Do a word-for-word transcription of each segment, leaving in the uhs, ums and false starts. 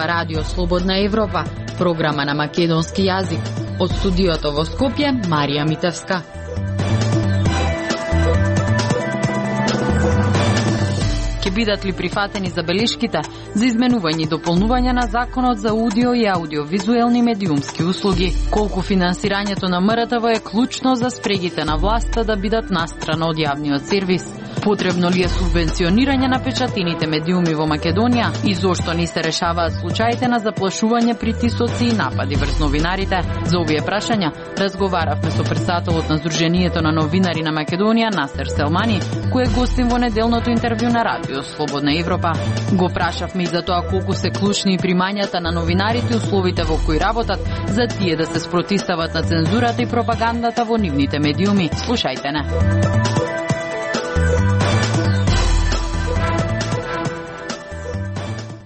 Ова радио Слободна Европа, програма на македонски јазик. Од студиото во Скопје, Марија Митевска. Ке бидат ли прифатени забелешките за изменување и дополнување на Законот за аудио и аудиовизуелни медиумски услуги? Колку финансирањето на М Р Т В е клучно за спрегите на власта да бидат настрана од јавниот сервис? Потребно ли е субвенционирање на печатините медиуми во Македонија и зошто не се решаваат случаите на заплашување, притисоци и напади врз новинарите? За овие прашања разговаравме со председателот на Сдруженијето на новинари на Македонија Насер Селмани, кој е гостин во неделното интервју на радио Слободна Европа. Го прашавме и за тоа колку се клучни примањата на новинарите и условите во кои работат за тие да се спротистават на цензурата и пропагандата во нивните медиуми. Слушајте не.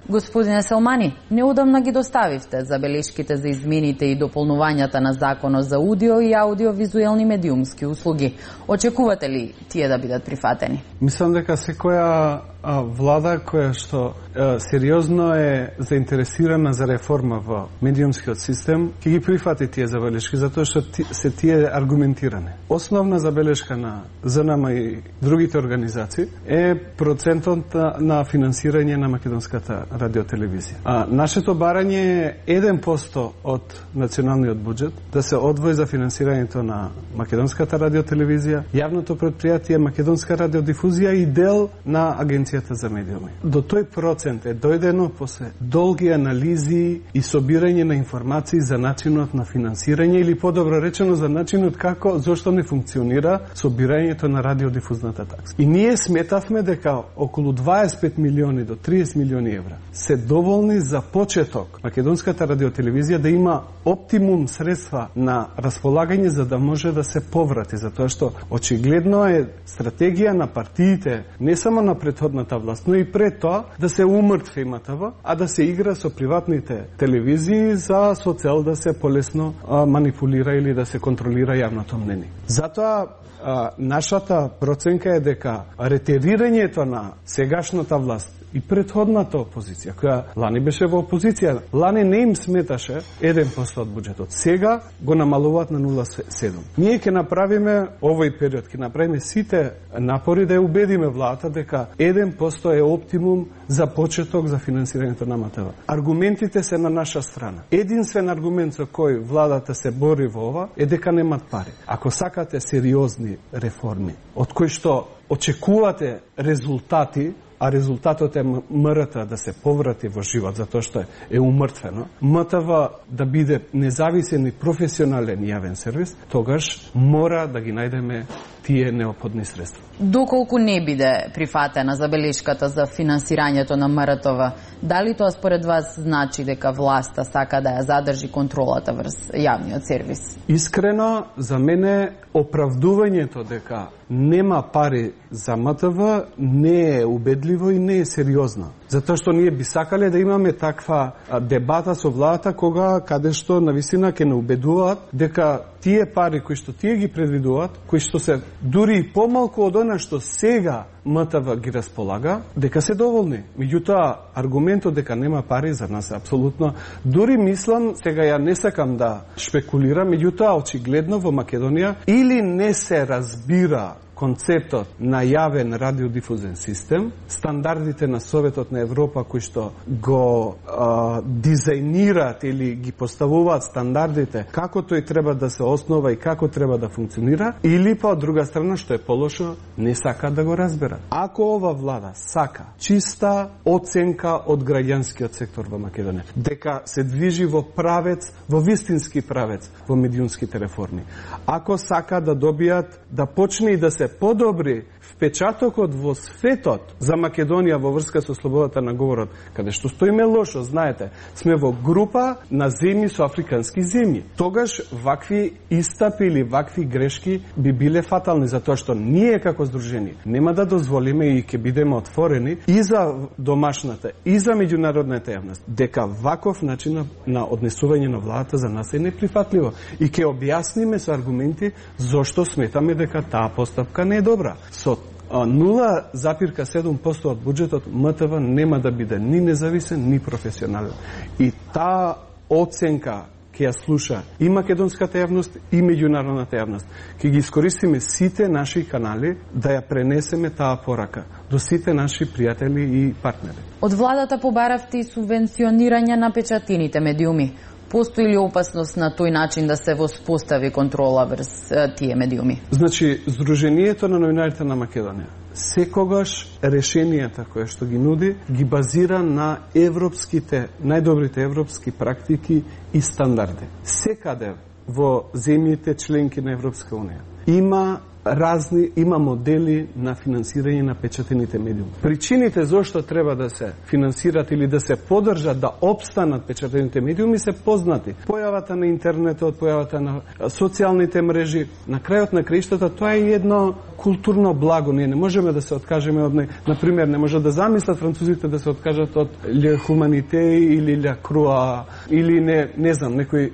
Господине Селмани, неудамна ги доставивте забелешките за измените и дополнувањата на Законот за аудио и аудиовизуелни медиумски услуги. Очекувате ли тие да бидат прифатени? Мислам дека секоја а, влада која што а, сериозно е заинтересирана за реформа во медиумскиот систем, ќе ги прифати тие забелешки, затоа што ти, се тие аргументиране. Основна забелешка на З Н М и другите организации е процентот на, на финансирање на македонската радиотелевизија. А нашето барање е еден процент од националниот буџет да се одвои за финансирањето на македонската радиотелевизија, јавното претпријатие Македонска радиодифузија и дел на Агенцијата за медиуми. До тој процент е дојдено после долги анализи и собирање на информации за начинот на финансирање или подобро речено за начинот како зошто не функционира собирањето на радиодифузната такса. И ние сметавме дека околу дваесет и пет милиони до триесет милиони евра се доволни за почеток македонската радиотелевизија да има оптимум средства на располагање за да може да се поврати, затоа што очигледно е стратегија на партиите, не само на претходната власт, но и пред тоа да се умртви М Т В, а да се игра со приватните телевизии за со цел да се полесно а, манипулира или да се контролира јавното мнение. Затоа а, нашата проценка е дека ретерирањето на сегашната власт и претходната опозиција, која лани беше во опозиција, лани не им сметаше еден процент од буџетот. Сега го намалуваат на нула целу седум. Ние ќе направиме овој период, ќе направиме сите напори да ја убедиме владата дека еден процент е оптимум за почеток за финансирањето на М Т В. Аргументите се на наша страна. Единствен аргумент за кој владата се бори во ова е дека немат пари. Ако сакате сериозни реформи, од кои што очекувате резултати, а резултатот е М Р Т да се поврати во живот затоа што е умртвено, М Т В да биде независен и професионален јавен сервис, тогаш мора да ги најдеме тие неопходни средства. Доколку не биде прифатена забелешката за финансирањето на М Р Т В, дали тоа според вас значи дека власта сака да ја задржи контролата врз јавниот сервис? Искрено, за мене оправдувањето дека нема пари за М Т В не е убедливо и не е сериозно. Затоа што ние би сакале да имаме таква дебата со владата кога каде што навистина ќе не убедуваат дека тие пари кои што тие ги предвидуваат, кои што се дури и помалку од она што сега М Т В ги располага, дека се доволни. Меѓутоа, аргументот дека нема пари за нас е апсолутно. Дури мислам, сега ја не сакам да шпекулирам, меѓутоа очигледно во Македонија или не се разбира концептот на јавен радиодифузен систем, стандардите на Советот на Европа кои што го а, дизајнираат или ги поставуваат стандардите како тој треба да се основа и како треба да функционира, или па од друга страна што е полошо, не сака да го разбера. Ако ова влада сака чиста оценка од граѓанскиот сектор во Македонија, дека се движи во правец, во вистински правец во медиумските реформи, ако сака да добијат, да почне и да се подобри впечатокот во светот за Македонија во врска со слободата на говорот, каде што стоиме лошо, знаете, сме во група на земји со африкански земји. Тогаш вакви истапи или вакви грешки би биле фатални, затоа што ние како здружение нема да дозволиме и ќе бидеме отворени и за домашната, и за меѓународната јавност, дека ваков начин на однесување на владата за нас е неприфатливо. И ќе објасниме со аргументи зошто сметаме дека таа постапка не е добра. Со нула запирка седум посто од буџетот М Т В нема да биде ни независен, ни професионален. И таа оценка ќе ја слуша и македонската јавност и меѓународната јавност. Ќе ги искористиме сите наши канали да ја пренесеме таа порака до сите наши пријатели и партнери. Од владата побаравте и субвенционирање на печатините медиуми. Постои ли опасност на тој начин да се воспостави контрола врз тие медиуми? Значи, Сдруженијето на новинарите на Македонија секогаш решенијата кои што ги нуди ги базира на европските, најдобрите европски практики и стандарди. Секаде во земјите членки на Европска унија има разни, има модели на финансирање на печатените медиуми. Причините зошто треба да се финансират или да се поддржат да опстанат печатените медиуми се познати. Појавата на интернетот, појавата на социјалните мрежи, на крајот на краиштата, тоа е едно културно благо. Ние не можеме да се откажеме од него. Например, не може да замислат французите да се откажат од Le Humanité или La Croix или не, не знам, некои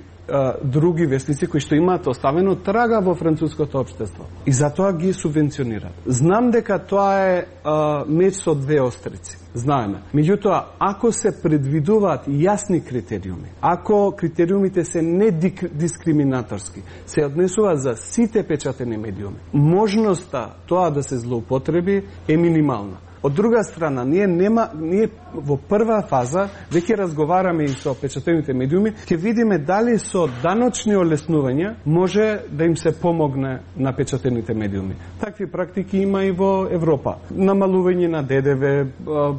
други вестници кои што имаат оставено трага во француското општество. И затоа ги субвенционираат. Знам дека тоа е а, меч со две острици. Знаеме. Меѓутоа, ако се предвидуваат јасни критериуми, ако критериумите се недискриминаторски, се однесува за сите печатени медиуми, можноста тоа да се злоупотреби е минимална. Од друга страна, ние нема ние во прва фаза веќе разговараме и со печатените медиуми, ќе видиме дали со даночни олеснувања може да им се помогне на печатените медиуми. Такви практики има и во Европа. Намалување на Д Д В,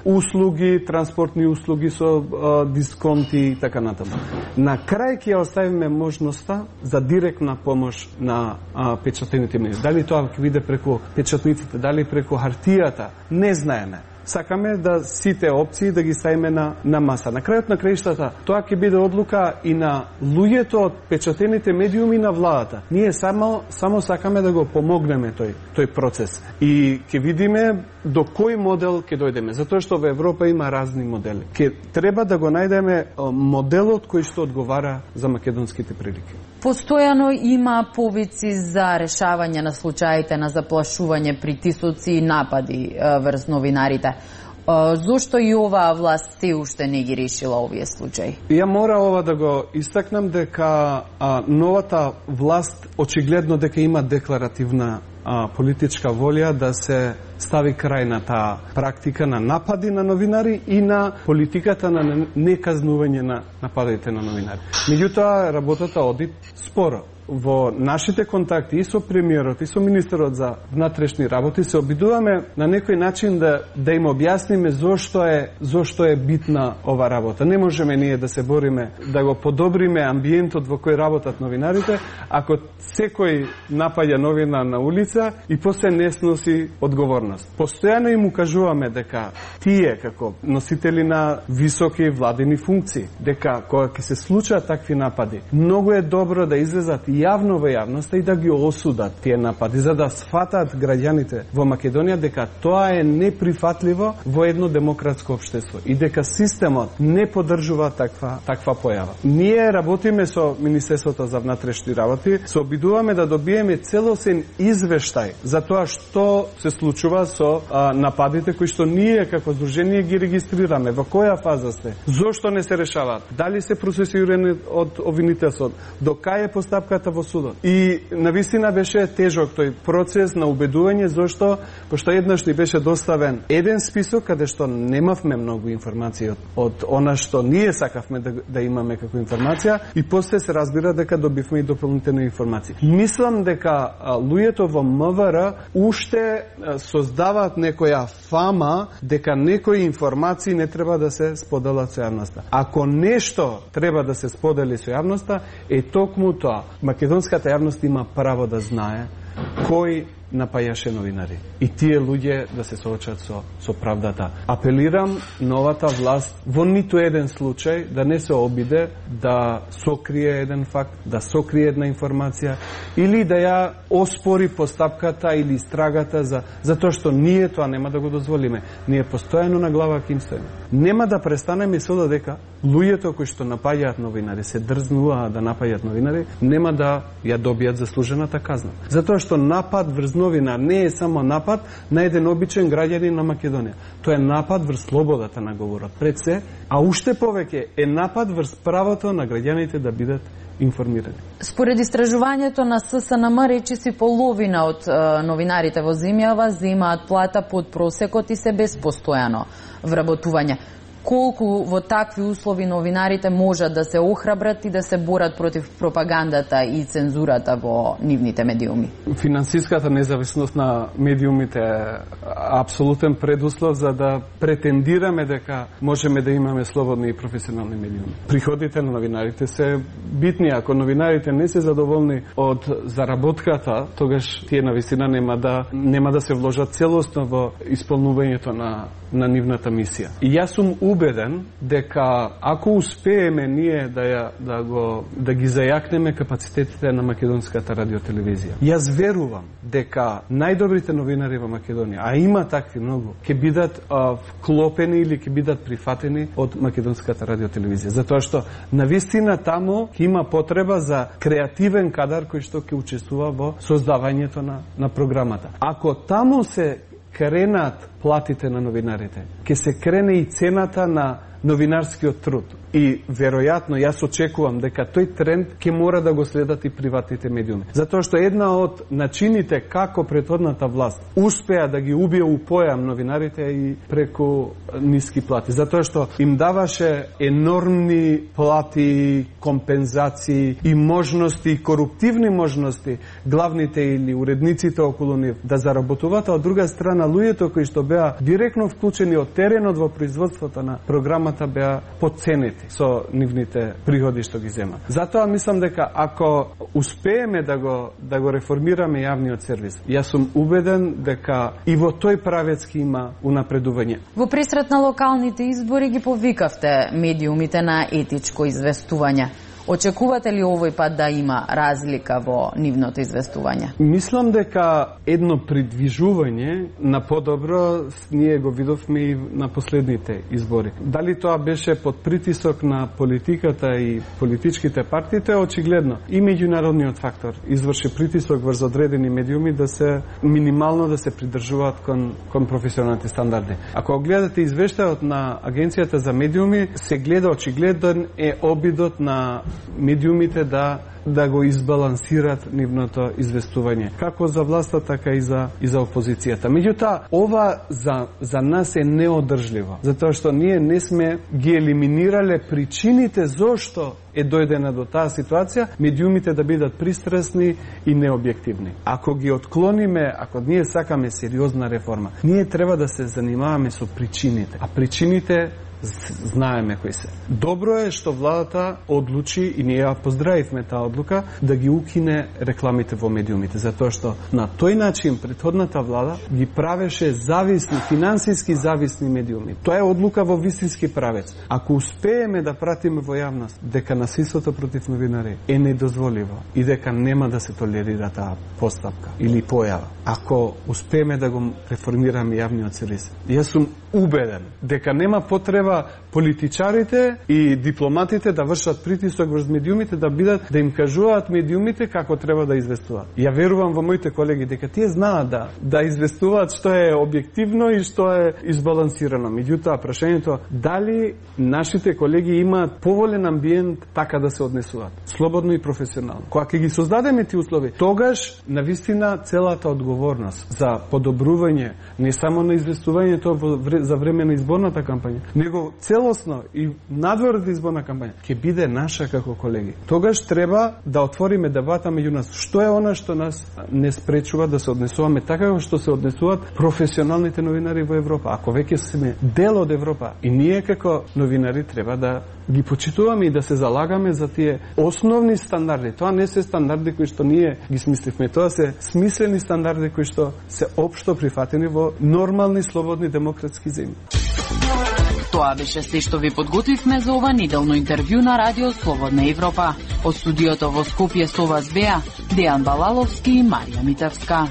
услуги, транспортни услуги со дисконти и така натаму. На крај ќе оставиме можноста за директна помош на печатените медиуми. Дали тоа ќе биде преку печатниците, дали преку хартијата, не знаеме. Сакаме да сите опции да ги ставиме на, на маса. На крајот на краиштата, тоа ќе биде одлука и на луѓето од печатените медиуми на владата. Ние само, само сакаме да го помогнеме тој, тој процес. И ќе видиме до кој модел ќе дојдеме. Затоа што во Европа има разни модели. Ке треба да го најдеме моделот кој што одговара за македонските прилики. Постојано има повици за решавање на случаите на заплашување, притисоци и напади врз новинарите. Зошто и оваа власт се уште не ги решила овие случаи? Ја мора ова да го истакнам дека а, новата власт очигледно дека има декларативна а, политичка волја да се стави крај на таа практика на напади на новинари и на политиката на неказнување на нападите на новинари. Меѓутоа, работата оди споро. Во нашите контакти и со премиерот и со министерот за внатрешни работи се обидуваме на некој начин да да им објасниме зошто е зошто е битна ова работа. Не можеме ние да се бориме да го подобриме амбиентот во кој работат новинарите, ако секој напаѓа новина на улица и после не сноси одговорност. Постојано им укажуваме дека тие како носители на високи владени функции, дека кога ќе се случаат такви напади, многу е добро да излезат јавно во јавноста и да ги осудат тие напади, за да сфатат граѓаните во Македонија дека тоа е неприфатливо во едно демократско општество и дека системот не поддржува таква таква појава. Ние работиме со Министерството за внатрешни работи, се обидуваме да добиеме целосен извештај за тоа што се случува со а, нападите кои што ние како здружение ги регистрираме, во која фаза сте, зошто не се решаваат, дали се процесирани од обвинителството, до кај е постапката во судот. И навистина беше тежок тој процес на убедување, зашто пошто еднаш ни беше доставен еден список каде што немавме многу информации од, од она што ние сакавме да, да имаме како информација и после се разбира дека добивме и дополнителни информации. Мислам дека а, луѓето во М В Р уште а, создаваат некоја фама дека некои информации не треба да се споделат со јавноста. Ако нешто треба да се сподели со јавноста, е токму тоа. Македонската јавност има право да знае кој напајаше новинари. И тие луѓе да се соочат со, со правдата. Апелирам новата власт во ниту еден случај да не се обиде да сокрие еден факт, да сокрие една информација или да ја оспори постапката или истрагата за затоа што ние тоа нема да го дозволиме. Ние постојано на глава ќе им стоиме. Нема да престанеме со дека луѓето кои што напаѓаат новинари, се дрзнуваат да напаѓаат новинари, нема да ја добијат заслужената казна. Затоа што напад врз новинар, не е само напад на еден обичен граѓанин на Македонија. Тоа е напад врз слободата на говорот пред се, а уште повеќе е напад врз правото на граѓаните да бидат информирани. Според истражувањето на ССНМ, речиси половина од е, новинарите во земјава земаат плата под просекот и се без постојано вработување. Колку во такви услови новинарите можат да се охрабрат и да се борат против пропагандата и цензурата во нивните медиуми? Финансиската независност на медиумите е апсолутен предуслов за да претендираме дека можеме да имаме слободни и професионални медиуми. Приходите на новинарите се битни. Ако новинарите не се задоволни од заработката, тогаш тие навистина нема да нема да се вложат целосно во исполнувањето на на нивната мисија. И јас сум убеден дека ако успееме ние да ја, да го да ги зајакнеме капацитетите на македонската радиотелевизија, јас верувам дека најдобрите новинари во Македонија, а има такви многу, ќе бидат а, вклопени или ќе бидат прифатени од македонската радиотелевизија, затоа што навистина таму ќе има потреба за креативен кадар кој што ќе учествува во создавањето на на програмата. Ако таму се кренат платите на новинарите, ќе се крене и цената на новинарскиот труд. И веројатно јас очекувам дека тој тренд ќе мора да го следат и приватните медиуми. Затоа што една од начините како претходната власт успеа да ги убие у појам новинарите и преку ниски плати. Затоа што им даваше енормни плати, компензации и можности, и коруптивни можности главните или уредниците околу нив да заработуваат, а од друга страна луѓето кои што беа директно вклучени од теренот во производството на програмата беа подценети со нивните приходи што ги земат. Затоа мислам дека ако успееме да го да го реформираме јавниот сервис, јас сум убеден дека и во тој правец ќе има унапредување. Во пресрет на локалните избори ги повикавте медиумите на етичко известување. Очекувате ли овој пат да има разлика во нивното известување? Мислам дека едно придвижување на подобро ние го видовме и на последните избори. Дали тоа беше под притисок на политиката и политичките партии, тоа е очигледно. И меѓународниот фактор изврши притисок врз одредени медиуми да се минимално да се придржуваат кон, кон професионалните стандарди. Ако гледате извештајот на Агенцијата за медиуми, се гледа очигледен е обидот на медиумите да да го избалансират нивното известување, како за власта, така и за и за опозицијата. Меѓутоа, ова за за нас е неодржливо, затоа што ние не сме ги елиминирале причините зошто е дојдена до таа ситуација, медиумите да бидат пристрасни и необјективни. Ако ги отклониме, ако ние сакаме сериозна реформа, ние треба да се занимаваме со причините, а причините знаеме кои се. Добро е што владата одлучи, и ние ја поздравивме таа одлука, да ги укине рекламите во медиумите, затоа што на тој начин претходната влада ги правеше зависни, финансиски зависни медиуми. Тоа е одлука во вистински правец. Ако успееме да пратиме во јавност дека насилството против новинари е недозволиво и дека нема да се толерира таа постапка или појава, ако успееме да го реформираме јавниот сервис, јас сум убеден дека нема потреба политичарите и дипломатите да вршат притисок врз медиумите, да бидат да им кажуваат медиумите како треба да известуваат. Ја верувам во моите колеги дека тие знаат да да известуваат што е објективно и што е избалансирано. Меѓутоа, прашањето дали нашите колеги имаат поволен амбиент така да се однесуваат, слободно и професионално. Кога ќе ги создадеме тие услови, тогаш навистина целата одговорност за подобрување не само на известувањето за време на изборната кампања, него целосно и надвор од изборна кампања ќе биде наша како колеги. Тогаш треба да отвориме дебата меѓу нас. Што е она што нас не спречува да се однесуваме така како што се однесуваат професионалните новинари во Европа? Ако веќе сме дел од Европа, и ние како новинари треба да ги почитуваме и да се залагаме за тие основни стандарди. Тоа не се стандарди кои што ние ги смисливме, тоа се смислени стандарди кои што се општо прифатени во нормални, слободни, демократски земји. Тоа беше се што ви подготвивме за ова неделно интервју на Радио Слободна Европа. Од студиото во Скопје со вас беа Дејан Балаловски и Марија Митевска.